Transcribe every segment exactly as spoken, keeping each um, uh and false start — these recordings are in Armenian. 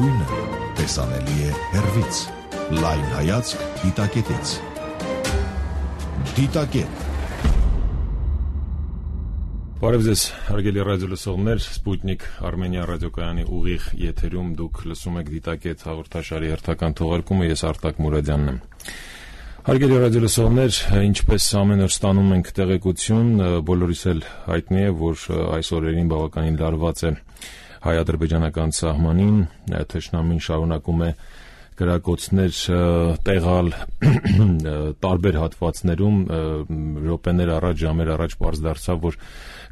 Գույնը տեսանելի է հեռվից։ Լայն հայացք դիտակետից։ Դիտակետ։ Բարև ձեզ, հարգելի ռադիոլսողներ, Սպուտնիկ Արմենիա ռադիոկայանի ուղիղ եթերում դուք լսում եք Դիտակետ հաղորդաշարի հերթական թողարկումը, ես Արտակ Մուրադյանն եմ։ Հարգելի ռադիոլսողներ, ինչպես ամեն օր ստանում ենք տեղեկություն, բոլորիս էլ հայտնի է, որ այս օրերին բավականին լարված է հայ-ադրբեջանական սահմանին, թշնամին շարունակում է կրակոցներ տեղալ տարբեր հատվածներում, րոպեներ առաջ, ժամեր առաջ պարզ դարձավ, որ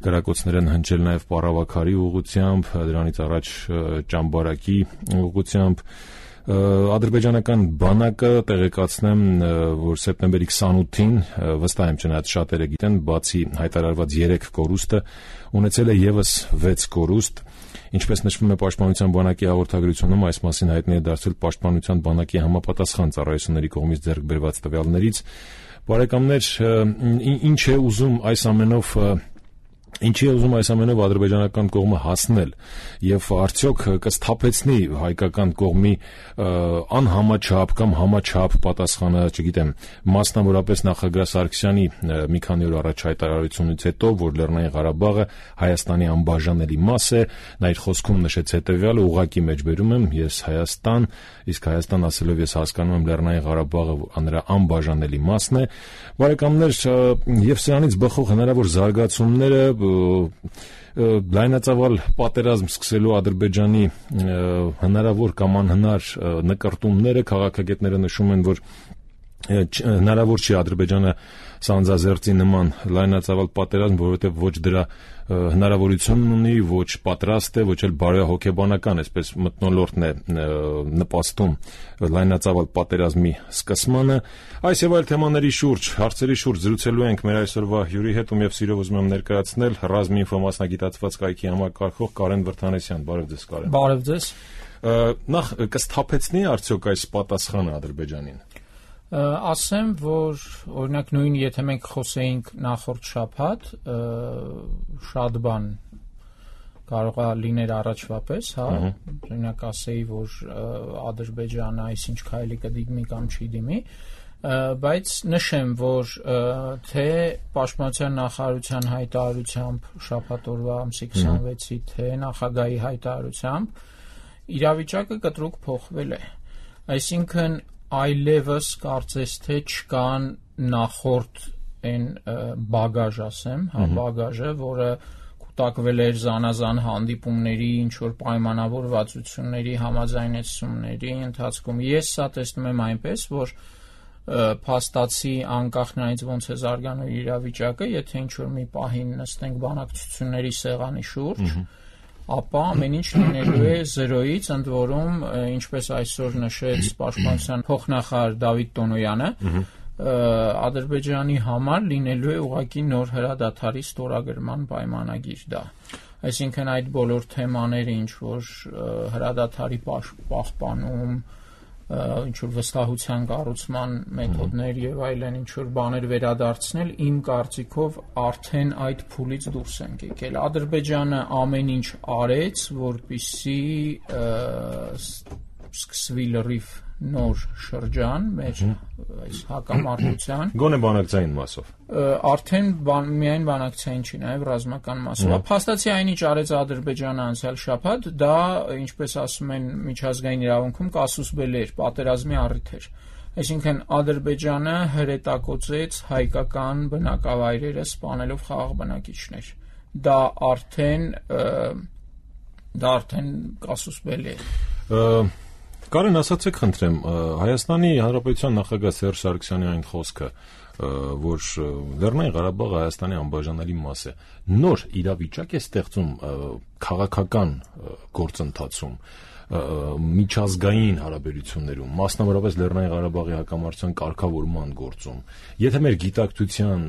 կրակոցներ են հնչել նաև Պարավաքարի ուղղությամբ, դրանից առաջ Ճամբարակի ուղղությամբ։ Ադրբեջանական բանակը տեղեկացնեմ, որ սեպտեմբերի քսանութին, վստահ եմ չնայած շատերը գիտեն, բացի հայտարարված երեք կորուստը, ունեցել է ևս վեց կորուստ։ Ինչպես նշվում է Պաշտպանության բանակի հաղորդագրությունում, այս մասին հայտնի է դարձել Պաշտպանության բանակի համապատասխան ծառայությունների կողմից ձեռք բերված տվյալներից։ Բարեկամներ, ինչ է ուզում այս ամենով Ինչի է ուզում այս ամենով ադրբեջանական կողմը հասնել եւ արդյոք կսթափեցնի հայկական կողմի անհամաչափ կամ համաչափ պատասխանը, չգիտեմ, մասնավորապես նախագահ Սարգսյանի մի քանի օր առաջ հայտարարությունից հետո, որ Լեռնային Ղարաբաղը Հայաստանի անբաժանելի մաս է, նա իր խոսքում նշեց հետեւյալը, ուղղակի մեջբերում եմ, ես Հայաստան, իսկ Հայաստան ասելով ես հասկանում եմ Լեռնային Ղարաբաղը նրա անբաժանելի մասն է։ Բարեկամներ, եւ սրանից բխող հնարավոր զարգացումները լայնածավալ պատերազմ սկսելու Ադրբեջանի հնարավոր կամ անհնար նկարտումները, քաղաքագետները նշում են, որ հնարավոր չի Ադրբեջանը սանձազերծի նման լայնածավալ պատերազմ, որովհետև ոչ դրա հնարավորությունն ունի, ոչ պատրաստ է, ոչ էլ բարոյահոգեբանական, այսպես մթնոլորտն է նպաստում լայնածավալ պատերազմի սկսմանը։ Այս եւ այլ թեմաների շուրջ, հարցերի շուրջ զրուցելու ենք մեր այսօրվա հյուրի հետ, ում եւ սիրով ուզում եմ ներկայացնել ռազմի ինֆո մասնագիտացված կայքի համակարգող Կարեն Վրդանեսյան։ Բարև ձեզ, Կարեն։ Բարև ձեզ։ Նախ կսթափեցնի արդյոք այս պատասխանը Ադրբեջանին։ Ասեմ, որ օրինակ նույն եթե մենք խոսեինք նախորդ շաբաթ, շատ բան կարող է լիներ առաջվա պես, հա, օրինակ ասեի, որ Ադրբեջանը այսինչ քայլի կդիմի կամ չի դիմի, բայց նշեմ, որ թե Պաշտպանության նախարարության հայտարարությամբ շաբաթ օրվա ամսի քսանվեցի, թե նախագահի հայտարարությամբ իրավիճակը կտրուկ փոխվել է, այսինքն այլևս կարծես թե չկան նախորդ այն բագաժ, ասեմ, հա, բագաժը, որը կուտակվել էր զանազան հանդիպումների, ինչ-որ պայմանավորվածությունների, համաձայնեցումների ընթացքում։ Ես սա տեսնում եմ այնպես, որ փաստացի անկախ նրանից ոնց է զարգանում իրավիճակը, եթե ինչ-որ մի պահին նստենք բանակցությունների սեղանի շուրջ, ապա ամեն ինչ լինելու է զրոյից, ընդ որում, ինչպես այսօր նշեց Պաշտպանության փոխնախարար Դավիթ Տոնոյանը, Ադրբեջանի համար լինելու է ուղղակի նոր հրադադարի ստորագրման պայմանագիր դա։ Այսինքն այդ բոլոր թեմաները, ինչ որ հրադադարի պահպանում, ինչ որ վստահության կառուցման մեթոդներ եւ այլն, ինչ որ բաներ վերադարձնել, իմ կարծիքով արդեն այդ փուլից դուրս ենք եկել։ Ադրբեջանը ամեն ինչ արեց, որպեսզի սկսվի լրիվ նոր շրջան մեր այս հակամարտության։ Գոնե բանակցային մասով։ Արդեն միայն բանակցային չի, նաև ռազմական մասով։ Փաստացի այն ինչ արեց Ադրբեջանը անցյալ շաբաթ, դա, ինչպես ասում են միջազգային իրավունքում, կասուս բելի էր, պատերազմի առիթ էր։ Այսինքն Ադրբեջանը հրետակոծեց հայկական բնակավայրերը սպանելով խաղաղ բնակիչներ։ Դա արդեն դա արդեն կասուս բելի է։ Կարեն, ասացեք խնդրեմ, Հայաստանի Հանրապետության նախագահ Սերժ Սարգսյանի այն խոսքը, որ Լեռնային Ղարաբաղը Հայաստանի անբաժանելի մաս է, նոր իրավիճակ է ստեղծում քաղաքական գործընթացում, միջազգային հարաբերություններում, մասնավորապես Լեռնային Ղարաբաղի հակամարտության կարգավորման գործում։ Եթե մեր գիտակցության,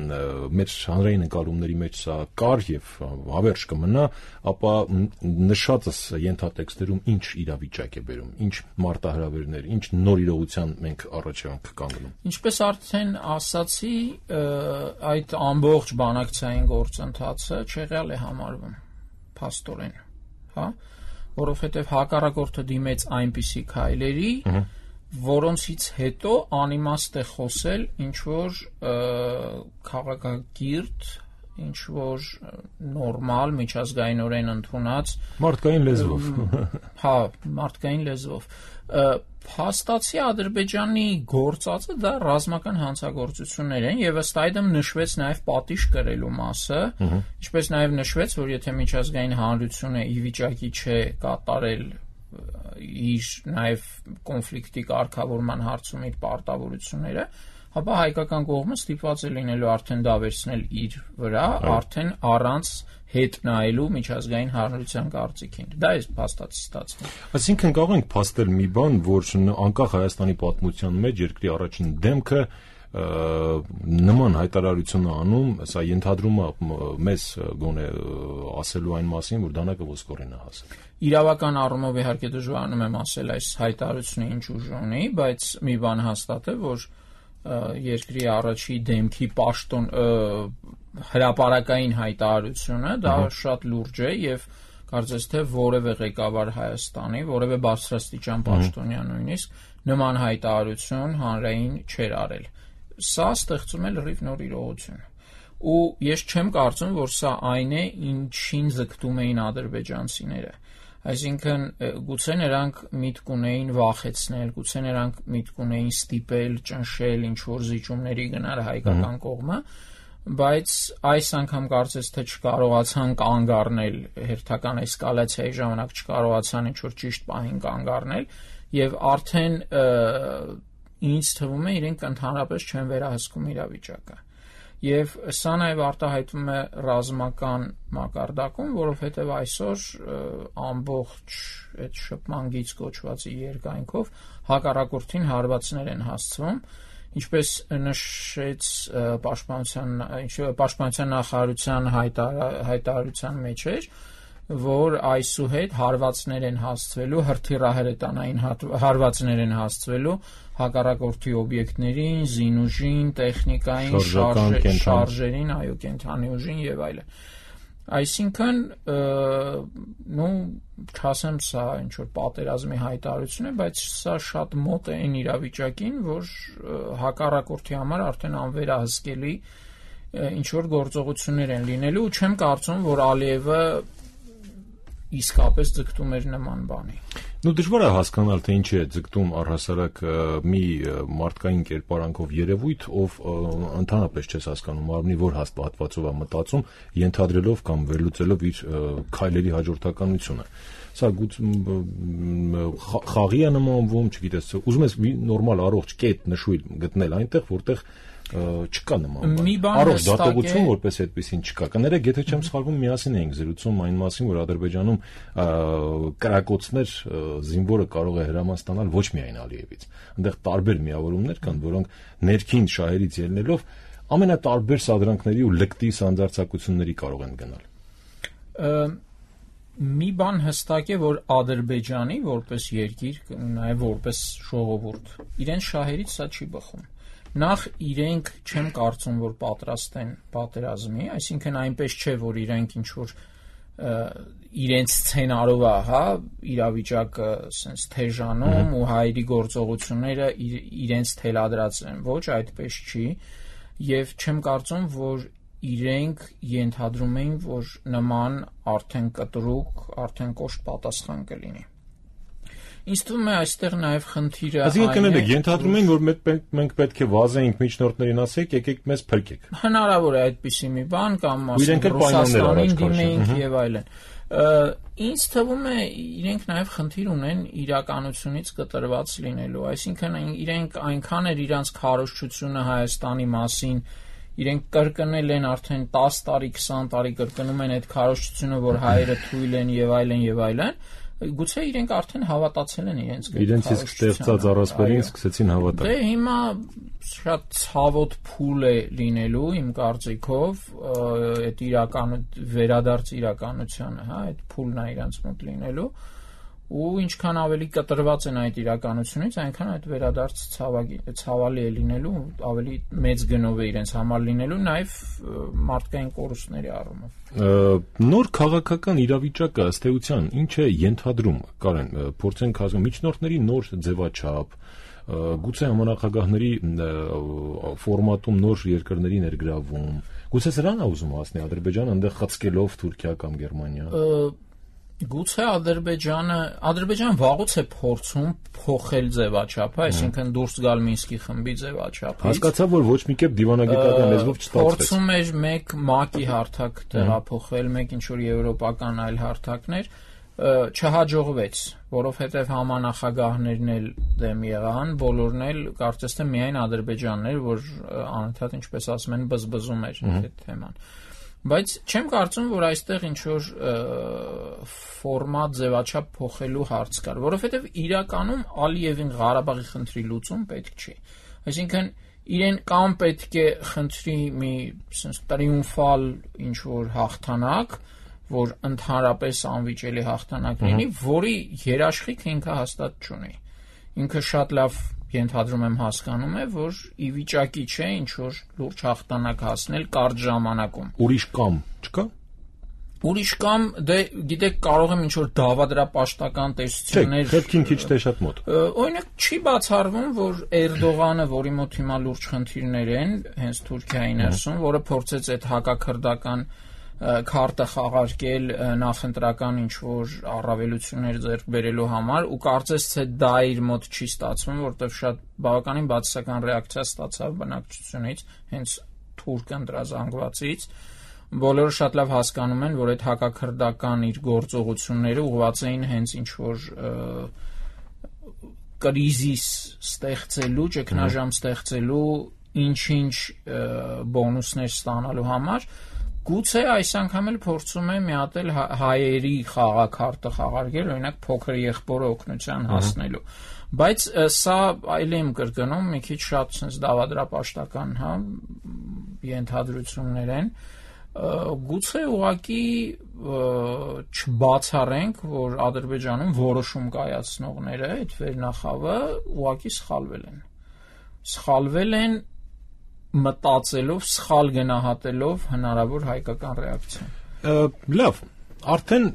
մեր հանրային ընկալումների մեջ սա կար եւ հավերժ կմնա, ապա նշածս ենթատեքստերում ինչ իրավիճակ է բերում, ինչ մարտահրավերներ, ինչ նոր իրողության մենք առաջ ենք կանգնում։ Ինչպես արդեն ասացի, այդ ամբողջ բանակցային գործընթացը չեղյալ է համարվում, փաստորեն, հա։ որովհետև հակառակորդը դիմեց այնպիսի քայլերի, որոնցից հետո անիմաստ է խոսել ինչ որ քաղաքակիրթ, ինչ որ նորմալ միջազգայինորեն ընդունած մարդկային լեզվով։ Հա, մարդկային լեզվով։ Փաստացի Ադրբեջանի գործածը դա ռազմական հանցագործություններ են եւ ըստ այդմ նշվեց նաեւ պատիժ կրելու մասը, ինչպես նաեւ նշվեց, որ եթե միջազգային հանրությունը ի վիճակի չէ կատարել իր նաև կոնֆլիկտի կարգավորման հարցում իր պարտավորությունները, ապա հայկական կողմը ստիպված է լինելու արդեն դա վերցնել իր վրա, արդեն առանց հետ նայելու միջազգային հանրության կարծիքին։ Դա է փաստացի ստացվում։ Այսինքն կարող ենք փաստել մի բան, որ անկախ Հայաստանի պատմության մեջ երկրի առաջին դեմքը նման հայտարարություն անում, սա ենթադրում է մեզ գոնե ասելու այն մասին, որ դանակը ոսկորին է հասել։ Իրավական առումով իհարկե դժվարանում եմ ասել այս հայտարարությունը ինչ ուժ ունի, բայց մի բան հաստատ է, որ երկրի առաջի դեմքի պաշտոն հրապարակային հայտարարությունը դա շատ լուրջ է եւ կարծես թե որևէ ղեկավար Հայաստանի, որևէ բարձրաստիճան պաշտոնյա նույնիսկ նման հայտարարություն հանրային չէր արել։ Սա ստեղծում է լրիվ նոր իրողություն։ Ու ես չեմ կարծում, որ սա այն է, ինչին ձգտում էին ադրբեջանցիները։ Այսինքն գուցե նրանք միտք ունեին վախեցնել, գուցե նրանք միտք ունեին ստիպել, ճնշել, ինչ որ զիջումների գնալ հայկական կողմը, բայց այս անգամ կարծես թե չկարողացան կանգ առնել հերթական էսկալացիայի ժամանակ չկարողացան ինչ որ ճիշտ պահին կանգ առնել եւ արդեն ինձ թվում է իրենք ընդհանրապես չեն վերահսկում իրավիճակը։ Եվ սա նաև արտահայտվում է ռազմական մակարդակում, որովհետև այսօր ամբողջ այդ շփման գիծ կոչվածի երկայնքով հակառակորդին հարվածներ են հասցվում, ինչպես նշեց պաշտպանության, պաշտպանության նախարարության հայտարարության մեջ էր, որ այսուհետ հարվածներ են հասցվելու, հրթիռահրետանային հարվածներ են հասցվելու հակառակորդի օբյեկտներին, զինուժին, տեխնիկային, շարժերին, այո, կենթանի ուժին եւ այլն։ Այսինքն, նո, չասեմ սա ինչ որ պատերազմի հայտարարություն է, բայց սա շատ մոտ է այն իրավիճակին, որ հակառակորդի համար արդեն անվերահսկելի ինչ որ գործողություններ են լինելու, ու չեմ կարծում, որ Ալիևը իսկապես ձգտում էր նման բանի։ Նու դժվար է հասկանալ, թե ինչի է ձգտում առհասարակ մի մարդկային կերպարանքով երևույթ, ով ընդհանրապես չես հասկանում մարմնի որ հատվածով է մտածում, ենթադրելով կամ վերլուծելով իր քայլերի հաջորդականությունը։ Սա խաղի է նմանվում, չգիտես, ուզում ես մի նորմալ առողջ կետ նշույլ գտնել այնտեղ, որտեղ չկա նման բան։ Առողջ դատողություն որպես այդպեսին չկա։ Կներեք, եթե չեմ սխալվում, միասին էինք զրուցում այն մասին, որ Ադրբեջանում կրակոցներ զինվորը կարող է հրաման ստանալ ոչ միայն Ալիևից։ Այնտեղ տարբեր միավորումներ կան, որոնք ներքին շահերից ելնելով ամենատարբեր սադրանքների ու լկտի սանձարձակությունների կարող են գնալ։ Մի բան հստակ է, որ Ադրբեջանի որպես երկիր, նաև որպես ժողովուրդ, իրեն շահերից սա չի բխում։ Նախ իրենք չեմ կարծում, որ պատրաստ են պատերազմի, այսինքն այնպես չէ, որ իրենք ինչ որ իրենց սցենարով է, հա, իրավիճակը sense թեժանում ու հայերի գործողությունները իրենց թելադրած են, ոչ այդպես չի, եւ չեմ կարծում, որ իրենք ենթադրում էին, որ նման արդեն կտրուկ, արդեն կոշտ պատասխան կլինի։ Ինձ թվում է այստեղ նաև խնդիրը այն է, ենթադրում են, որ մենք պետք է վազեինք միջնորդներին ասենք, եկեք մեզ փրկեք։ Հնարավոր է այդպիսի մի բան կամ ասենք Ռուսաստանին դիմենք եւ այլն։ Ինձ թվում է իրենք նաև խնդիր ունեն իրականությունից կտրված լինելու, այսինքն իրենք այնքան էր իրանց քարոզչությունը Հայաստանի մասին, իրենք կրկնել են արդեն տասը տարի, քսան տարի կրկնում են այդ քարոզչությունը, որ հայերը թույլ են եւ այլն եւ այլն։ Գուցե իրենք արդեն հավատացել են իրենց իրենց իսկ ստեղծած առասպելին սկսեցին հավատալ։ Դե հիմա շատ ցավոտ փուլ է լինելու իմ կարծիքով այդ իրական վերադարձ իրականությանը, հա, այդ փուլն է իրենց մոտ լինելու ու ինչքան ավելի կտրված են այդ իրականությունից, այնքան այդ վերադարձ ցավալի է լինելու, ավելի մեծ գնով է իրենց համար լինելու, նաև մարդկային կորուստների առումով։ Նոր քաղաքական իրավիճակը ըստ էության ինչ է ենթադրում, Կարեն, փորձենք հասկանալ միջնորդների նոր ձևաչափ, գուցե համանախագահների ֆորմատում նոր երկրների ներգրավում, գուցե սրան է ուզում հասնել Ադրբեջանը այնտեղ խցկելով Թուրքիա կամ Գերմանիա։ Գուցե Ադրբեջանը Ադրբեջանը վաղուց է փորձում փոխել ձևաչափը, այսինքն դուրս գալ Մինսկի խմբի ձևաչափից։ Հասկացա, որ ոչ մի կերպ դիվանագիտական լեզվով չստացվեց։ Փորձում էր մեկ ՄԱԿ-ի հարթակ տեղափոխել, մեկ ինչ որ եվրոպական այլ հարթակներ, չհաջողվեց, որովհետև համանախագահներն էլ դեմ եղան, բոլորն էլ կարծես թե միայն Ադրբեջանն էր, որ անընդհատ ինչպես ասում են բզբզում էր այդ թեման։ Բայց չեմ կարծում, որ այստեղ ինչ որ ֆորմատ ձևաչափ փոխելու հարց կար, որովհետև իրականում Ալիևին Ղարաբաղի խնդրի լուծում պետք չի։ Այսինքն իրեն կամ պետք է խնդրի մի տրիումֆալ ինչ որ հաղթանակ, որ ընդհանրապես անվիճելի հաղթանակ լինի, որի երաշխիքը ինքը հաստատ չունի։ Ինքը շատ լավ ենթադրում եմ հասկանում է, որ ի վիճակի չէ ինչ որ լուրջ հաղթանակ հասնել կարճ ժամանակում։ Ուրիշ կամ չկա։ Ուրիշ կամ դե գիտեք կարող եմ ինչ որ դավադրապաշտական տեսություններ։ Չէ, քեզ քիչ թե շատ մոտ։ Օրինակ չի բացառվում, որ Էրդողանը, որի մոտ հիմա լուրջ խնդիրներ են, հենց Թուրքիայի ներսում, որը փորձեց այդ հակաքրդական քարտը խաղարկել նախընտրական ինչ որ առավելություններ ձեռք բերելու համար ու կարծես թե դա իր մոտ չի ստացվում, որտեղ շատ բավականին բացասական ռեակցիա ստացավ բնակչությունից, հենց թուրք ընտրազանգվածից։ Բոլորը շատ լավ հասկանում են, որ այդ հակաքրդական իր գործողությունները ուղղված էին հենց ինչ որ կրիզիս ստեղծելու, ճգնաժամ ստեղծելու, ինչ-ինչ բոնուսներ ստանալու համար։ Գուցե այս անգամ էլ փորձում է մի հատ էլ հայերի խաղաքարտը խաղարկել, օրինակ փոքր եղբորը օգնության հասնելու։ Բայց սա այլ եմ կրկնում, մի քիչ շատ sense դավադրապաշտական, հա, ենթադրություններ են։ Գուցե ուղղակի չբացառենք, որ Ադրբեջանում որոշում կայացնողները, այդ վերնախավը ուղղակի սխալվել են։ Սխալվել են մտածելով, սխալ գնահատելով հնարավոր հայկական ռեակցիա։ Լավ, արդեն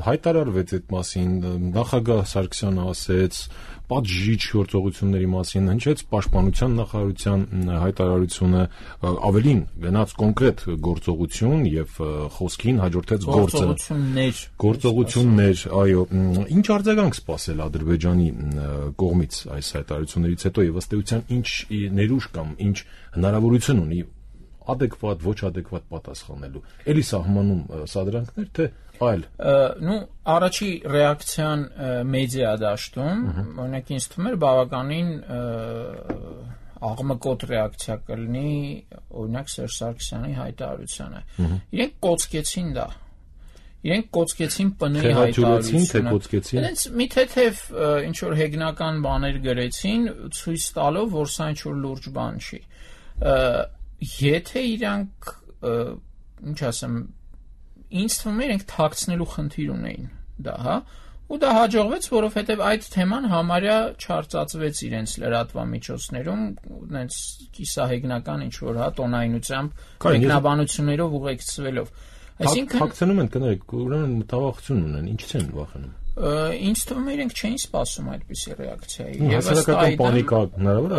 հայտարարվեց այդ մասին, նախագահ Սարգսյանը ասեց, պատժիչ գործողությունների մասին հնչեց պաշտպանության նախարարության հայտարարությունը, ավելին գնաց կոնկրետ գործողություն եւ խոսքին հաջորդեց գործը։ Գործողություններ։ Գործողություններ, այո, ինչ արձագանք սպասել Ադրբեջանի կողմից այս հայտարարություններից հետո եւ ըստ էության ինչ ներուժ կամ ինչ հնարավորություն ունի adekvat, ոչ adekvat պատասխանելու։ Էլի սահմանում սադրանքներ, թե այլ։ Ну, առաջի ռեակցիան մեդիա դաշտում, օրինակ ինձ թվում էր բավականին աղմկոտ ռեակցիա կլինի, օրինակ Սերժ Սարգսյանի հայտարարությանը։ Իրենք կոծկեցին դա։ Իրենք կոծկեցին ՊՆ-ի հայտարարությունը։ Իրենց մի թեթև ինչ որ հեգնական բաներ գրեցին, ցույց տալով, որ սա ինչ որ լուրջ բան չի։ Եթե իրանք, ինչ ասեմ, ինձ թվում է իրենք թաքցնելու խնդիր ունեին դա, հա, ու դա հաջողվեց, որովհետև այդ թեման համարյա չարծացվեց իրենց լրատվամիջոցներում, այնց կիսահեգնական ինչ որ հա տոնայնությամբ, մեկնաբանություններով ուղեկցվելով։ Այսինքն թաքցնում են, կներեք, ուրեմն մտավախություն ունեն, ինչից են վախենում։ Ինձ թվում է իրենք չէին սպասում այդպիսի ռեակցիայի։ Հասարակական պանիկա հնարավոր է։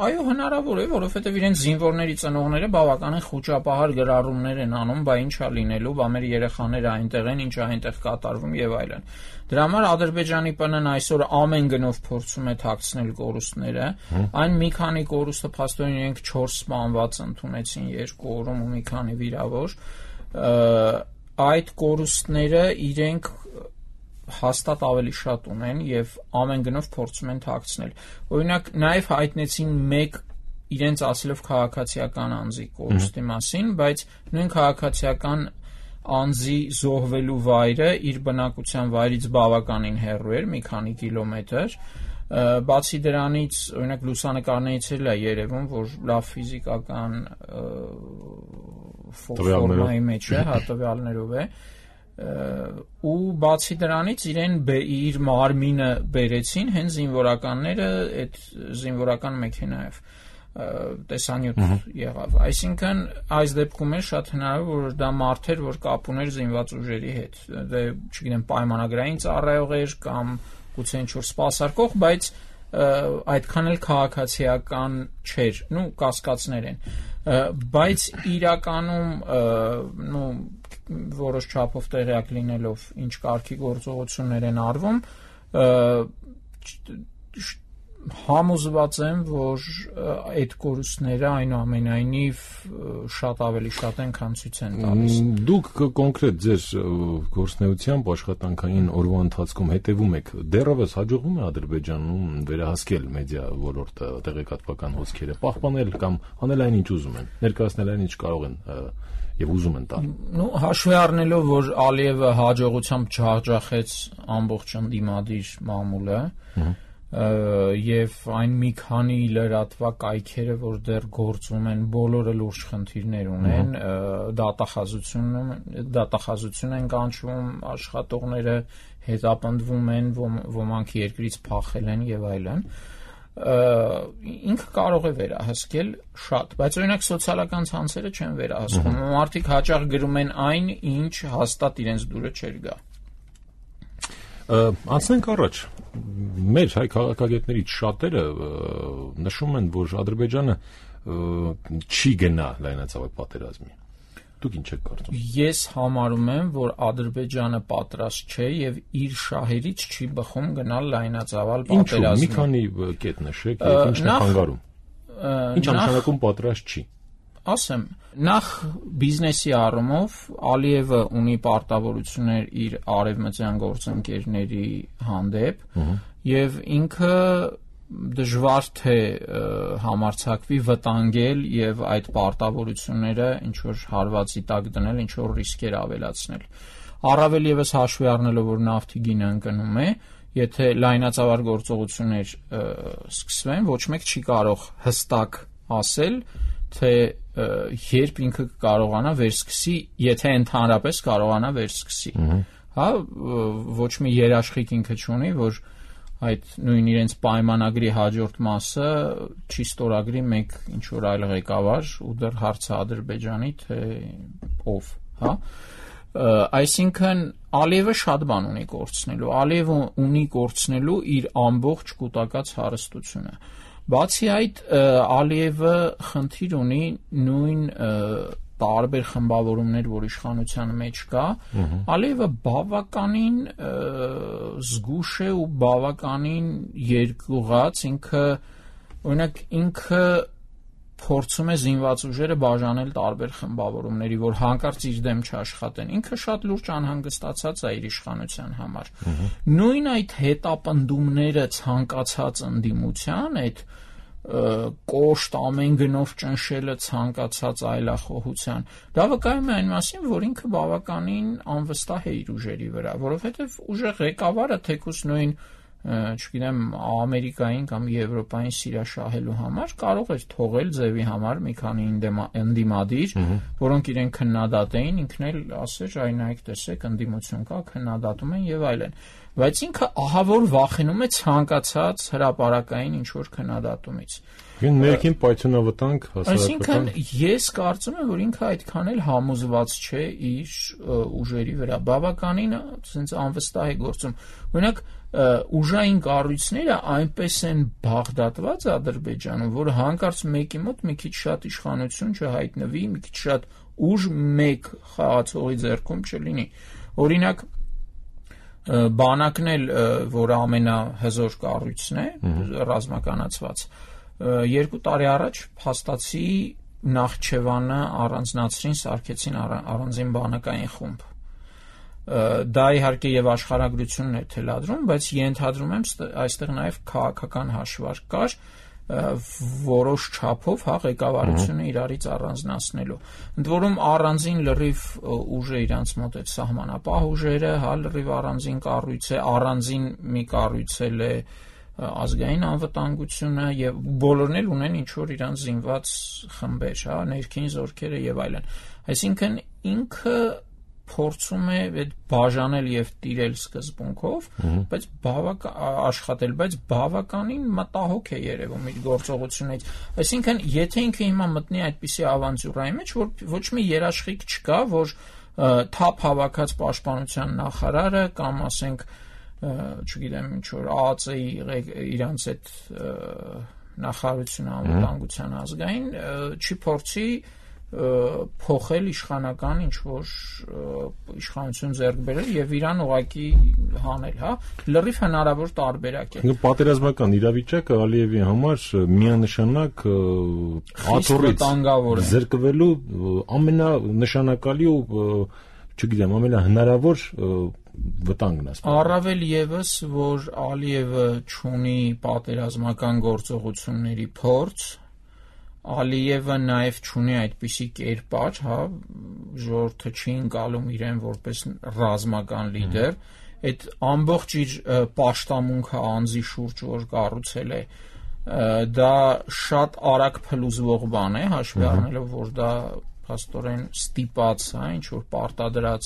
Այո, հնարավոր է, որովհետև իրենց զինվորների ծնողները բավականին խոճապահար գրառումներ են անում, բա ինչա լինելու, բա մեր երեխաները այնտեղ են, ինչա այնտեղ կատարվում եւ այլն։ Դրա համար Ադրբեջանի ՊՆ-ն այսօր ամեն գնով փորձում է թաքցնել կորուստները։ Այն մի քանի կորուստը փաստորեն իրենք չորս սպանված ընդունեցին երկու օրում ու մի քանի վիրավոր։ Այդ կորուստները իրենք հաստատ ավելի շատ ունեն եւ ամեն գնով փորձում են թաքցնել։ Օրինակ նաեւ հայտնեցին մեկ իրենց ասելով քաղաքացիական անձի կորուստի մասին, բայց նույն քաղաքացիական անձի զոհվելու վայրը իր բնակության վայրից բավականին հեռու էր, մի քանի կիլոմետր։ Բացի դրանից, օրինակ լուսանկարներից էլ է երևում, որ լավ ֆիզիկական ֆորմայի մեջ է, հա տվյալներով է։ ու բացի դրանից իրեն իր մարմինը բերեցին հենց զինվորականները այդ զինվորական մեքենայով տեսանյութ եղավ, այսինքն այս դեպքում էր շատ հնարավոր որ դա մարդ էր որ կապ ուներ զինված ուժերի հետ, դե չգիտեմ պայմանագրային ծառայող էր կամ գուցե ինչ-որ սպասարկող, բայց այդքան էլ քաղաքացիական չէր, նու կասկածներ են, բայց իրականում նու որոշ չափով տեղյակ լինելով ինչ կարգի գործողություններ են արվում, համոզված եմ, որ այդ կորուստները այնուամենայնիվ շատ ավելի շատ են, քան ցույց են տալիս։ Դուք կոնկրետ ձեր գործունեությամբ աշխատանքային օրվա ընթացքում հետևում եք, դեռևս հաջողվում է Ադրբեջանում վերահասկել մեդիա ոլորտը, տեղեկատվական հոսքերը, պահպանել կամ անել այն ինչ ուզում են, ներկայացնել այն ինչ կարող են եւ ուզում են տալ։ Նու հաշվի առնելով, որ Ալիևը հաջողությամբ ջախջախեց ամբողջ ընդդիմադիր մամուլը, եւ այն մի քանի լրատվակ կայքերը, որ դեռ գործում են, բոլորը լուրջ խնդիրներ ունեն, դատախազություն դատախազություն են կանչում, աշխատողները հետապնդվում են, ոմանք երկրից փախել են եւ այլն, ինքը կարող է վերահսկել շատ, բայց օրինակ սոցիալական ցանցերը չեն վերահսկում, մարդիկ հաճախ գրում են այն, ինչ հաստատ իրենց դուրը չէր գա։ Անցնենք առաջ, մեր հայ քաղաքագետներից շատերը նշում են, որ Ադրբեջանը չի գնա լայնածավալ պատերազմի։ Դուք ինչ եք կարծում։ Ես համարում եմ, որ Ադրբեջանը պատրաստ չէ եւ իր շահերից չի բխում գնալ լայնածավալ պատերազմի։ Ինչու՞ մի քանի կետ նշեք, եւ ինչն է խանգարում։ Ինչ նշանակում պատրաստ չի։ Ասեմ, նախ բիզնեսի առումով Ալիևը ունի պարտավորություններ իր արևմտյան գործընկերների հանդեպ եւ ինքը դժվար թե համարձակվի վտանգել եւ այդ պարտավորությունները ինչ որ հարվածի տակ դնել, ինչ որ ռիսկեր ավելացնել։ Առավել եւս հաշվի առնելով, որ նավթի գինը ընկնում է, եթե լայնածավալ գործողություններ սկսվեն, ոչ մեկ չի կարող հստակ ասել, թե երբ ինքը կարողանա վերսկսի, եթե ընդհանրապես կարողանա վերսկսի։ Հա, ոչ մի երաշխիք ինքը չունի, որ այդ նույն իրենց պայմանագրի հաջորդ մասը չի ստորագրի մեկ ինչ որ այլ ղեկավար ու դեռ հարցը Ադրբեջանի թե ով, հա։ Այսինքն Ալիևը շատ բան ունի կորցնելու, Ալիևը ունի կորցնելու իր ամբողջ կուտակած հարստությունը։ Բացի այդ, Ալիևը խնդիր ունի նույն տարբեր խմբավորումներ, որ իշխանության մեջ կա, Ալիևը բավականին զգուշ է ու բավականին երկյուղած, ինքը, օրինակ, ինքը փորձում է զինված ուժերը բաժանել տարբեր խմբավորումների, որ հանկարծ իր դեմ չաշխատեն։ Ինքը շատ լուրջ անհանգստացած է իր իշխանության համար։ Նույն այդ հետապնդումները ցանկացած ընդդիմության, այդ կոշտ ամեն գնով ճնշելը ցանկացած այլախոհության, դա վկայում է այն մասին, որ ինքը բավականին անվստահ է իր ուժերի վրա, որովհետև ուժի ղեկավարը թեկուզ նույն չգիտեմ, Ամերիկային կամ Եվրոպային սիրաշահելու համար կարող էր թողել ձևի համար մի քանի ընդդիմադիր, որոնք իրեն քննադատեին, ինքն էլ ասեր, այ նայեք, տեսեք, ընդդիմություն կա, քննադատում են եւ այլն։ Բայց ինքը ահավոր վախենում է ցանկացած հրապարակային ինչ որ քննադատումից։ Ինքն ներքին պայթյունավտանգ հասարակական։ Այսինքն ես կարծում եմ, որ ինքը այդքան էլ համոզված չէ իր ուժերի վրա, բավականին ասենց անվստահ է գործում։ Օրինակ ուժային կառույցները այնպես են բաղդատված Ադրբեջանում, որ հանկարծ մեկի մոտ մի քիչ շատ իշխանություն չհայտնվի, մի քիչ շատ ուժ մեկ խաղացողի ձեռքում չլինի։ Օրինակ բանակն էլ, որ ամենահզոր կառույցն է, ռազմականացված, երկու տարի առաջ փաստացի Նախճեվանը առանձնացրին, սարքեցին առանձին բանակային խումբ։ Դա իհարկե եւ աշխարհագրությունն է թելադրում, բայց ենթադրում եմ այստեղ նաեւ քաղաքական հաշվարկ կար, որոշ չափով հա ղեկավարությունը իրարից առանձնացնելու։ Ընդ որում առանձին լրիվ ուժ է իրանց մոտ այդ սահմանապահ ուժերը, հա լրիվ առանձին կառույց է, առանձին մի կառույց է ազգային անվտանգությունը եւ բոլորն էլ ունեն ինչ որ իրանց զինված խմբեր, հա ներքին զորքերը եւ այլն։ Այսինքն ինքը փորձում է այդ բաժանել եւ տիրել սկզբունքով, բայց բավական աշխատել, բայց բավականին մտահոգ է երևում իր գործողությունից։ Այսինքն, եթե ինքը հիմա մտնի այդպիսի ավանտյուրայի մեջ, որ ոչ մի երաշխիք չկա, որ թափ հավաքած պաշտպանության նախարարը կամ ասենք, չգիտեմ, ինչ որ ԱԱԾ-ի իրանց այդ նախարարությունը անվտանգության ազգային չի փորձի փոխել իշխանական ինչ որ իշխանություն ձեռք բերել եւ իրան ուղակի հանել, հա, լրիվ հնարավոր տարբերակ է։ Պատերազմական իրավիճակը Ալիևի համար միանշանակ աթոռից զրկվելու ամենանշանակալի ու չգիտեմ, ամենահնարավոր վտանգն է։ Առավել եւս, որ Ալիևը չունի պատերազմական գործողությունների փորձ, Ալիևը նաև չունի այդպիսի կերպար, հա, ժողովուրդը չի ընկալում իրեն որպես ռազմական լիդեր, այդ ամբողջ իր պաշտամունքը անձի շուրջ որ կառուցել է, դա շատ արագ փլուզվող բան է, հաշվի առնելով, որ դա փաստորեն ստիպած, հա, ինչ որ պարտադրած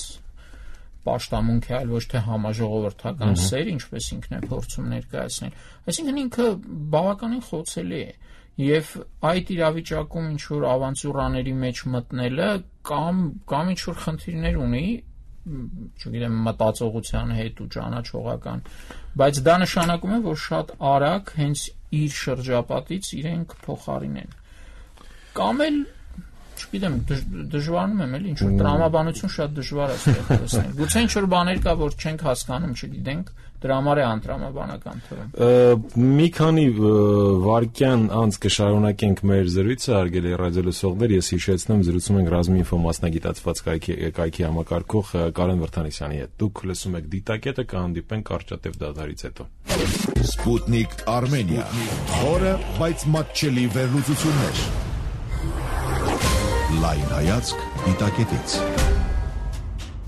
պաշտամունք է, այլ ոչ թե համաժողովրդական սեր, ինչպես ինքն է փորձում ներկայացնել։ Այսինքն ինքը բավականին խոցելի է։ Եվ այդ իրավիճակում ինչ որ ավանտյուրաների մեջ մտնելը կամ կամ ինչ որ խնդիրներ ունի, չգիտեմ, մտածողության հետ ու ճանաչողական, բայց դա նշանակում է, որ շատ արագ հենց իր շրջապատից իրեն կփոխարինեն։ Կամ էլ, չգիտեմ, դժվարանում եմ, էլի ինչ որ տրամաբանություն շատ դժվար է ստեղծել։ Գուցե ինչ որ բաներ կա, որ չենք հասկանում, չգիտենք, դրա համար է անտրամաբանական թվում։ Մի քանի վայրկյան անց կշարունակենք մեր զրույցը, հարգելի ռադիոլսողներ, ես հիշեցնեմ, զրուցում ենք Ռազմինֆո մասնագիտացված կայքի համակարգող Կարեն Վրդանիսյանի հետ։ Դուք լսում եք Դիտակետը, կհանդիպենք կարճատև դադարից հետո։ Սպուտնիկ Արմենիա, խորը, բայց մատչելի վերլուծություններ։ Լայն հայացք Դիտակետից։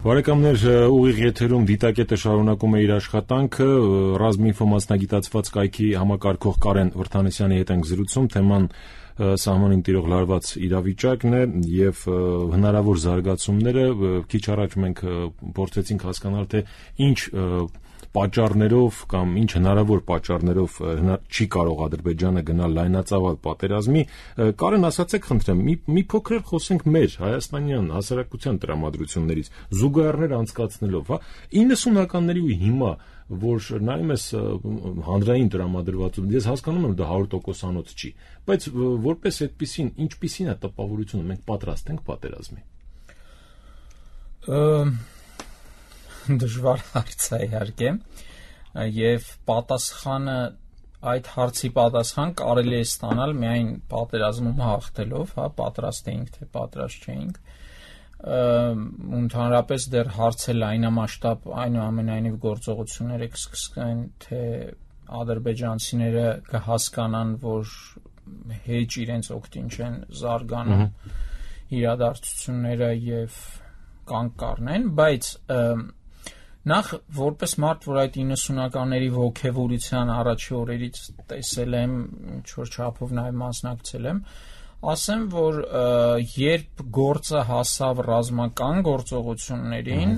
Բարեկամներ, ուղիղ եթերում Դիտակետը շարունակում է իր աշխատանքը, Ռազմինֆո մասնագիտացված կայքի համակարգող Կարեն Վրդանիսյանի հետ ենք զրուցում, թեման սահմանին տիրող լարված իրավիճակն է եւ հնարավոր զարգացումները։ Քիչ առաջ մենք փորձեցինք հասկանալ, թե ինչ պատճառներով կամ ինչ հնարավոր պատճառներով չի կարող Ադրբեջանը գնալ լայնածավալ պատերազմի։ Կարեն, ասացեք խնդրեմ, մի, մի փոքր խոսենք մեր հայաստանյան հասարակության տրամադրություններից, զուգահեռներ անցկացնելով, հա, իննսունականների ու հիմա, որ նայում ես հանրային տրամադրվածություն, ես հասկանում եմ դա հարյուր տոկոսանոց չի, բայց որպես այդպեսին, ինչպիսին է տպավորությունը, մենք պատրաստ ենք պատերազմի։ Դժվար հարց է իհարկե, եւ պատասխանը այդ հարցի պատասխան կարելի է ստանալ միայն պատերազմում հաղթելով, հա, պատրաստ էինք թե պատրաստ չէինք։ Ընդհանրապես դեռ հարցը լայնամասշտաբ այնուամենայնիվ գործողությունները կսկսեն, թե ադրբեջանցիները կհասկանան, որ հեչ իրենց օգտին չեն զարգանում իրադարձությունները եւ կանգ կառնեն, բայց նախ որպես մարդ, որ այդ իննսունականների ոգևորության առաջի օրերից տեսել եմ, ինչ որ չափով նաև մասնակցել եմ, ասեմ, որ երբ գործը հասավ ռազմական գործողություններին,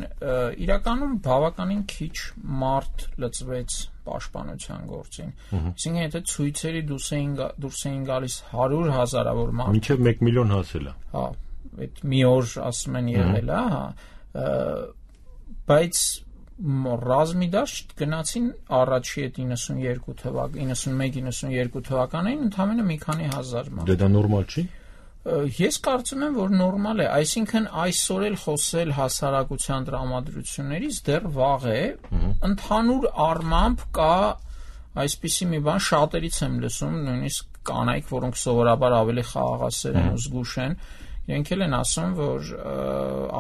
իրականում բավականին քիչ մարդ լծվեց պաշտպանության գործին։ Այսինքն, եթե ցույցերի դուրս էին դուրս էին գալիս հարյուր հազարավոր մարդ, մինչև մեկ միլիոն հասել է։ Հա, այդ մի օր ասում են եղել է, հա, բայց ռազմի դաշտ գնացին առաջի այդ իննսունյերկու թվական, իննսունմեկ իննսունյերկու թվականներին ընդամենը մի քանի հազար մարդ։ Դե դա նորմալ չի։ Ես կարծում եմ, որ նորմալ է, այսինքն այսօր էլ խոսել հասարակության տրամադրություններից դեռ վաղ է, ընդհանուր առմամբ կա այսպիսի մի բան, շատերից եմ լսում, նույնիսկ կանայք, որոնք սովորաբար ավելի խաղաղասեր են ու զգուշ են, իրենք էլ են ասում, որ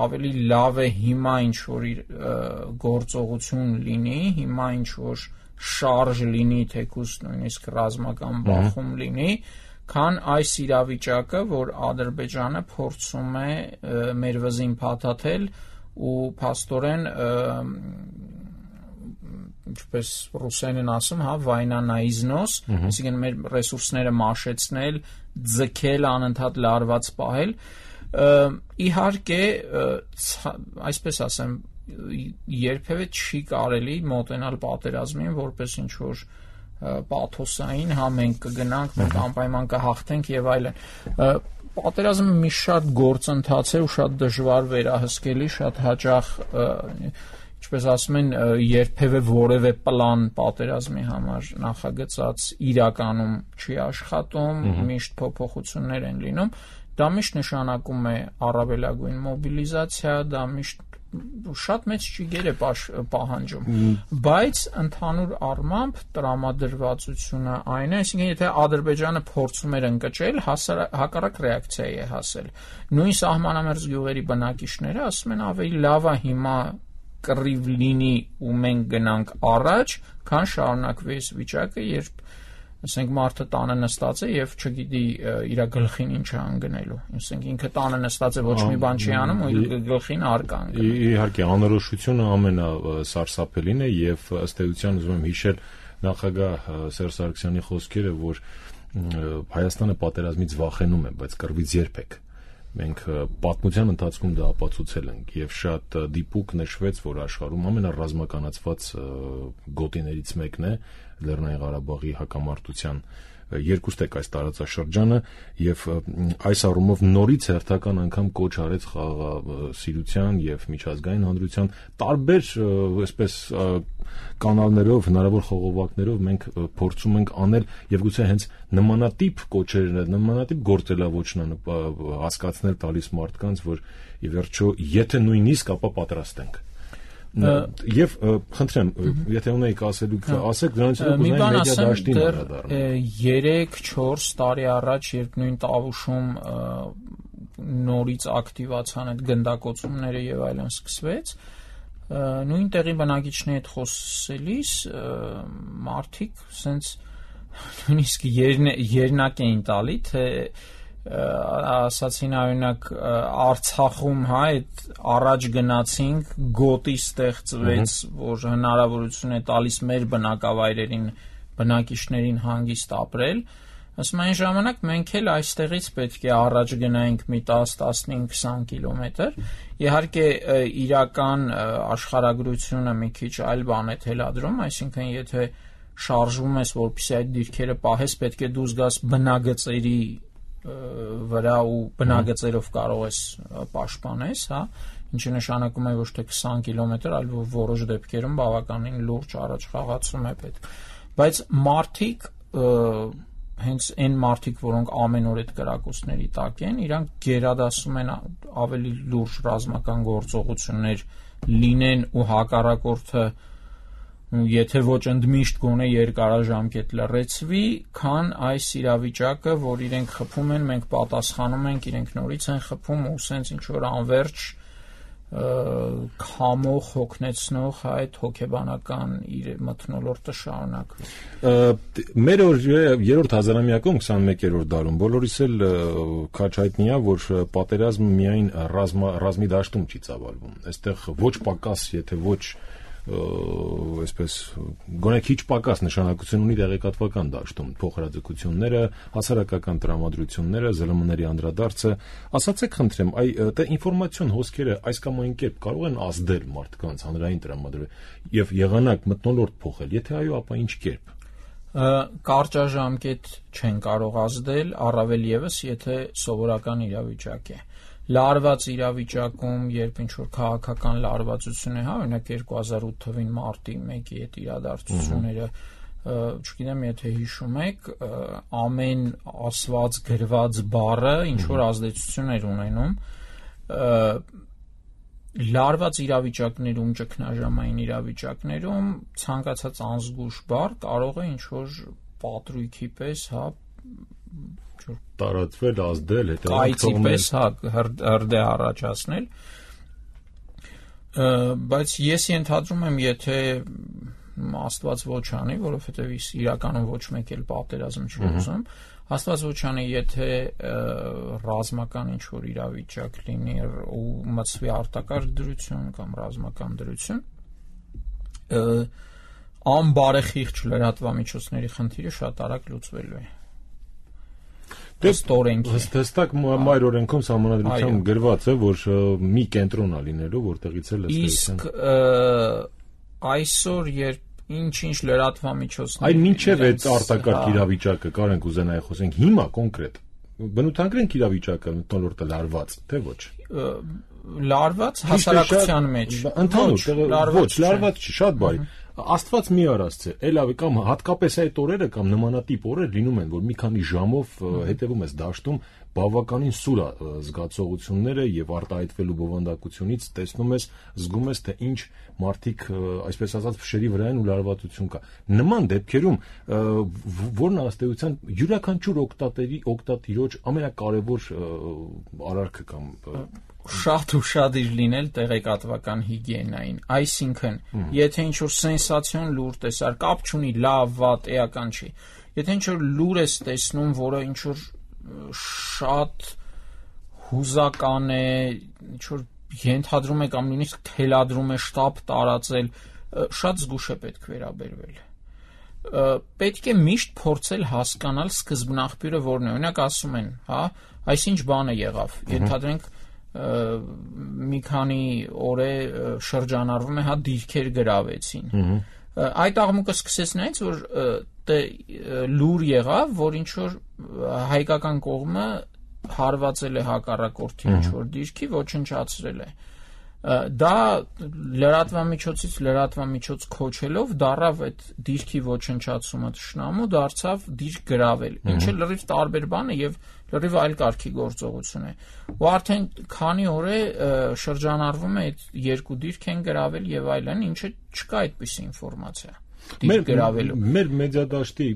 ավելի լավ է հիմա ինչ-որ գործողություն լինի, հիմա ինչ-որ շարժ լինի, թեկուզ նույնիսկ ռազմական բախում լինի, քան այս իրավիճակը, որ Ադրբեջանը փորձում է մեր վզին փաթաթել ու փաստորեն ինչպես ռուսերեն ասում, հա, վայնա նա իզնոս, այսինքն մեր ռեսուրսները մաշեցնել, ձգել, անընդհատ լարված պահել, Իհարկե, այսպես ասեմ, երբևէ չի կարելի մոտենալ պատերազմին որպես ինչ որ պաթոսային, հա մենք կգնանք, մենք անպայման կհաղթենք եւ այլն։ Պատերազմը մի շատ գործընթաց է ու շատ դժվար վերահսկելի, շատ հաճախ, ինչպես ասում են, երբևէ որևէ պլան պատերազմի համար նախագծած իրականում չի աշխատում, միշտ փոփոխություններ են լինում։ Դա միշտ նշանակում է առավելագույն մոբիլիզացիա, դա միշտ շատ մեծ ճիգեր է պահանջում, բայց ընդհանուր առմամբ տրամադրվածությունը այն է, այսինքն եթե Ադրբեջանը փորձում էր ընկճել, հակառակ ռեակցիայի է հասել։ Նույն սահմանամերձ գյուղերի բնակիչները ասում են ավելի լավ է հիմա կռիվ լինի ու մենք գնանք առաջ, քան շարունակվի այս վիճակը, երբ ասենք մարդը տանը նստած է եւ չգիտի իր գլխին ինչ է անգնելու։ Ասենք ինքը տանը նստած է, ոչ մի բան չի անում ու իր գլխին արգ անգնում։ Իհարկե, անորոշությունը ամենասարսափելին է եւ ըստ էության ուզում եմ հիշել նախագահ Սերժ Սարգսյանի խոսքերը, որ Հայաստանը պատերազմից վախենում է, բայց կռվից երբեք։ Մենք պատմության ընթացքում դա ապացուցել ենք եւ շատ դիպուկ նշվեց, որ աշխարհում ամենառազմականացված գոտիներից մեկն է Լեռնային Ղարաբաղի հակամարտության երկուստեք այս տարածաշրջանը եւ այս առումով նորից հերթական անգամ կոչ արեց խաղաղասիրության եւ միջազգային հանրության տարբեր այսպես կանալներով, հնարավոր խողովակներով մենք փորձում ենք անել եւ գուցե հենց նմանատիպ կոչերն, նմանատիպ գործելավոճն հասկացնել տալիս մարդկանց, որ ի վերջո եթե նույնիսկ ապա պատրաստ ենք։ Եվ խնդրեմ, եթե ունեիք ասելուք, ասեք, դրանից հետո կուզենայի մեդիա դաշտին անդրադառնալ։ երեք չորս տարի առաջ, երբ նույն Տավուշում նորից ակտիվացան այդ գնդակոծումները եւ այլն սկսվեց, նույն տեղի բնակիչների հետ խոսելիս մարդիկ սենց նույնիսկ երնակ էին տալի, թե ասացին օրինակ Արցախում, հա, այդ առաջ գնացինք, գոտի ստեղծվեց, որ հնարավորություն է տալիս մեր բնակավայրերին, բնակիչներին հանգիստ ապրել, ասում այն ժամանակ մենք էլ այստեղից պետք է առաջ գնայինք մի տաս, տասնհինգ, քսան կիլոմետր, իհարկե իրական աշխարհագրությունը մի քիչ այլ բան է թելադրում, այսինքն եթե շարժվում ես, որպեսզի այդ դիրքերը պահես, պետք է դու զգաս բնագծերի վրա ու բնագծերով կարող ես պաշտպանես, հա, ինչը նշանակում է ոչ թե քսան կիլոմետր, այլ որոշ դեպքերում բավականին լուրջ առաջխաղացում է պետք։ Բայց մարդիկ, հենց այն մարդիկ, որոնք ամեն օր այդ կրակոցների տակ են, իրանք գերադասում են ավելի լուրջ ռազմական գործողություններ լինեն ու հակառակորդը եթե ոչ ընդմիշտ գոնե երկարաժամկետ լռեցվի, քան այս իրավիճակը, որ իրենք խփում են, մենք պատասխանում ենք, իրենք նորից են խփում ու սենց ինչ որ անverջ քամող, հոգնեցնող այդ հոգեբանական իր մթնոլորտը շարունակվի։ Մեր երրորդ հազարամյակում քսանմեկերորդ դարում բոլորիս էլ քաչ հայտնի է, որ պատերազմը միայն ռազմի դաշտում չի ծավալվում։ Այստեղ ոչ պակաս, եթե ոչ այսպես գոնե քիչ պակաս նշանակություն ունի տեղեկատվական դաշտում, փոխհրաձգությունները, հասարակական տրամադրությունները, զլ մ-ների անդրադարձը, ասացեք խնդրեմ, այ դա ինֆորմացիոն հոսքերը այս կամ այն կերպ կարող են ազդել մարդկանց հանրային տրամադրություն եւ եղանակ մթնոլորտ փոխել, եթե այո, ապա ինչ կերպ։ Կարճաժամկետ չեն կարող ազդել, առավել եւս եթե սովորական իրավիճակ է։ Լարված իրավիճակում, երբ ինչ-որ քաղաքական լարվածություն է, հա, օրինակ երկու հազար ութ թվին մարտի մեկի այդ իրադարձությունները, չգիտեմ, եթե հիշում եք, ամեն ասված գրված բառը ինչ-որ ազդեցություն էր ունենում, լարված իրավիճակներում, ճգնաժամային իրավիճակներում ցանկացած անզգույշ բառ կարող է ինչ-որ պատրույքի պես, հա, տարածվել, ազդել, կայծի պես, հա, հրդեհ առաջացնել, բայց ես ենթադրում եմ, եթե Աստված ոչ անի, որովհետև իրականում ոչ մեկ էլ պատերազմ չի ուզում, Աստված ոչ անի, եթե ռազմական ինչ-որ իրավիճակ լինի ու մտցվի արտակարգ դրություն կամ ռազմական դրություն, անբարեխիղճ լրատվամիջոցների խնդիրը շատ արագ լուծվելու է։ ստորենքի։ Հստակ մայր օրենքում սահմանադրությամբ գրված է, որ մի կենտրոն է լինելու, որտեղից էլ իսկ այսօր երբ ինչ-ինչ լրատվամիջոցներ Այն մինչև այդ արտակարգ իրավիճակը կարենք ուզենայի խոսենք հիմա կոնկրետ բնութագրենք իրավիճակը մթնոլորտը լարված թե ոչ լարված հասարակության մեջ ընդհանուր ոչ լարված չի շատ բարի Աստված մի արածցե, էլ ավելի կամ հատկապես այդ օրերը կամ նմանատիպ օրեր լինում են, որ մի քանի ժամով հետևում ես դաշտում բավականին սուր զգացողությունները եւ արտահայտվելու բովանդակությունից տեսնում ես, զգում ես, թե ինչ մարդիկ, այսպես ասած, փշերի վրա են ու լարվածություն կա։ Նման դեպքերում որն ըստեյության յուրաքանչյուր օկտատերի, օկտատիրոջ ամենակարևոր արարքը կամ շատ ու շատ իր լինել տեղեկատվական հիգիենային, այսինքն, եթե ինչ-որ սենսացիոն լուր տեսար, կապ չունի լավ, վատ, էական չի, եթե ինչ-որ լուր ես տեսնում, որը ինչ-որ շատ հուզական է, ինչ-որ ենթադրում է կամ նույնիսկ թելադրում է շտապ տարածել, շատ զգուշ է պետք վերաբերվել։ Պետք է միշտ փորձել հասկանալ սկզբնաղբյուրը որն է, օրինակ ասում են, հա, այսինչ բան է եղավ, ենթադրենք մի քանի օր է շրջանառվում է հա դիրքեր գրավեցին այդ աղմուկը սկսեց նայից որ լուր եղավ որ ինչ որ հայկական կողմը հարվածել է հակառակորդի ինչ որ դիրքի ոչնչացրել է դա լրատվամիջոցից լրատվամիջոց քոչելով դարավ այդ դիրքի ոչնչացումը թշնամու դարձավ դիրք գրավել ինչը լրիվ տարբեր բան է եւ լրիվ այլ կարգի գործողություն է ու արդեն քանի օր է շրջանառվում է այդ երկու դիրք են գրավել եւ այլն ինչը չկա այդպիսի ինֆորմացիա դիրք գրավելու մեր մեդիադաշտի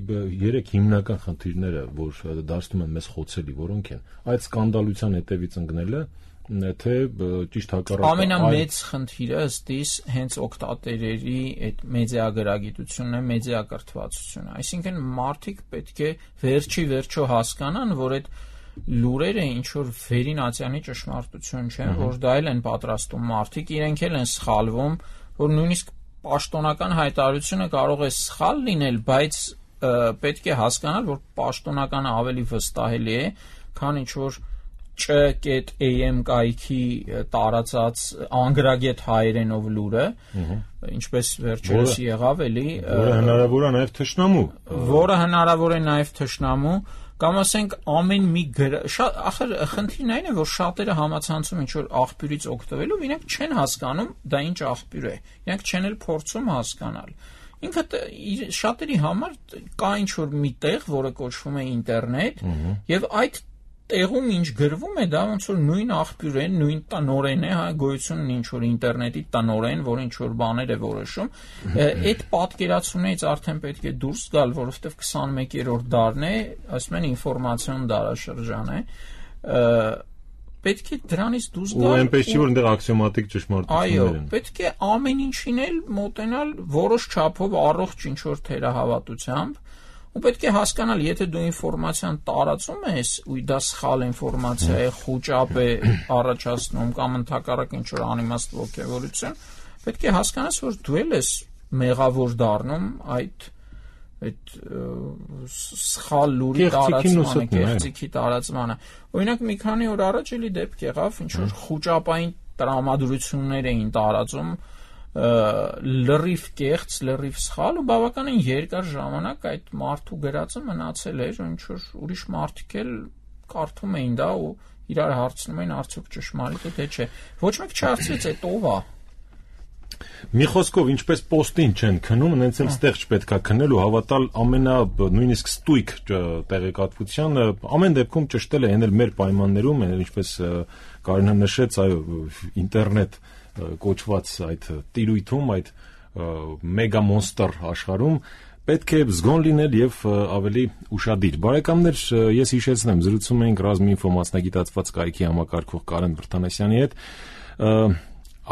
երեք հիմնական խնդիրները որ դարձնում են մեզ խոցելի որոնք են այդ սկանդալության հետևից ընկնելը թե ճիշտ հակառակը ամենամեծ խնդիրը ըստիս հենց օկտատերերի այդ մեդիագրագիտությունն է մեդիակրթվածությունը այսինքն մարդիկ պետք է վերջի վերջո հասկանան որ այդ լուրերը ինչ որ վերին ացյանի ճշմարտություն չեն որ դա էլ են պատրաստում մարդիկ իրենք էլ են սխալվում որ նույնիսկ պաշտոնական հայտարարությունը կարող է սխալ լինել բայց պետք է հասկանալ որ պաշտոնականը ավելի վստահելի է քան ինչ որ չ.am կայքի տարածած անգրագետ հայերենով լուրը, ինչպես վերջերս եղավ էլի, որը հնարավոր է նաև թշնամու, որը հնարավոր է նաև թշնամու, կամ ասենք ամեն մի շատ ախր խնդիրն այն է, որ շատերը համացանցում ինչ որ աղբյուրից օգտվելով, իրենք չեն հասկանում դա ինչ աղբյուր է, իրենք չեն էլ փորձում հասկանալ։ Ինքը շատերի համար կա ինչ որ մի տեղ, որը կոչվում է ինտերնետ, եւ այդ տեղում ինչ գրվում է դա ոնց որ նույն աղբյուր է, նույն տնօրեն է, հա, գոյություն ունի ինչ որ ինտերնետի տնօրեն, որ ինչ որ բաներ է որոշում, այդ պատկերացումներից արդեն պետք է դուրս գալ, որովհետև քսանմեկերորդ դարն է, ասում են ինֆորմացիոն դարաշրջան է, պետք է դրանից դուրս գալ։ Ու այնպես չի որ այնտեղ աքսիոմատիկ ճշմարտություններ են։ Այո, պետք է ամեն ինչին էլ մոտենալ որոշ չափով առողջ ինչ որ թերահավատությամբ ու պետք է հասկանալ, եթե դու ինֆորմացիան տարածում ես, ու դա սխալ ինֆորմացիա է, խուճապ է առաջացնում կամ ընդհակառակ ինչ-որ անիմաստ ոգևորություն, պետք է հասկանաս, որ դու էլ ես մեղավոր դառնում այդ այդ սխալ լուրի տարածմանը, կեղծիքի տարածմանը։ Օրինակ մի քանի օր առաջ էլի դեպք եղավ, ինչ-որ խուճապային տրամադրություններ էին տարածում լրիվ կեղծ, լրիվ սխալ ու բավականին երկար ժամանակ այդ մարդու գրածը մնացել էր, ինչ որ ուրիշ մարդիկ էլ կարդում էին դա ու իրար հարցնում էին արդյոք ճշմարիտ է թե չէ։ Ոչ մեկ չհարցրեց այդ ով է։ Մի խոսքով ինչպես պոստին չեն քնում, նենց էլ ստեղ չպետք է քնել ու հավատալ ամենա նույնիսկ ստույգ տեղեկատվությանը, ամեն դեպքում ճշտել է ենել մեր պայմաններում, ինչպես Կարինը նշեց, այո, ինտերնետ կոչված այդ տիրույթում, այդ մեգա մոնստր աշխարհում պետք է զգոն լինել եւ ավելի ուշադիր։ Բարեկամներ, ես հիշեցնեմ, զրուցում էինք Ռազմինֆո մասնագիտացված կայքի համակարգող Կարեն Վրդանեսյանի հետ։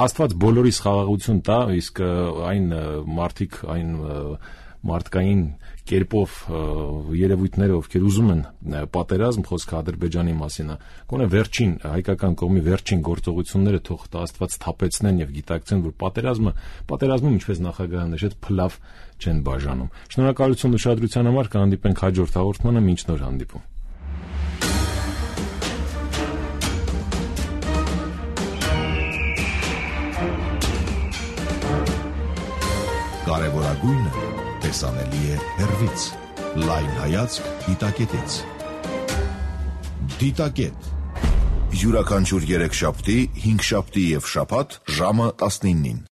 Աստված բոլորիս խաղաղություն տա, իսկ այն մարդիկ, այն մարդկային կերպով երևույթները, ովքեր ուզում են պատերազմ, խոսքը Ադրբեջանի մասին է, գոնե վերջին հայկական կողմի վերջին գործողությունները թող Աստված թափեցնեն եւ գիտակցեն, որ պատերազմը, պատերազմում ինչպես նախագահը նշեց, փլավ չեն բաժանում։ Շնորհակալություն ուշադրության համար, կհանդիպենք հաջորդ հաղորդմանը, մինչ նոր հանդիպում։ լավագույնը տեսանելի է հեռվից։ Լայն հայացք դիտակետից։ Դիտակետ։ Յուրաքանչյուր երեքշաբթի, հինգշաբթի և շաբաթ ժամը տասնինին։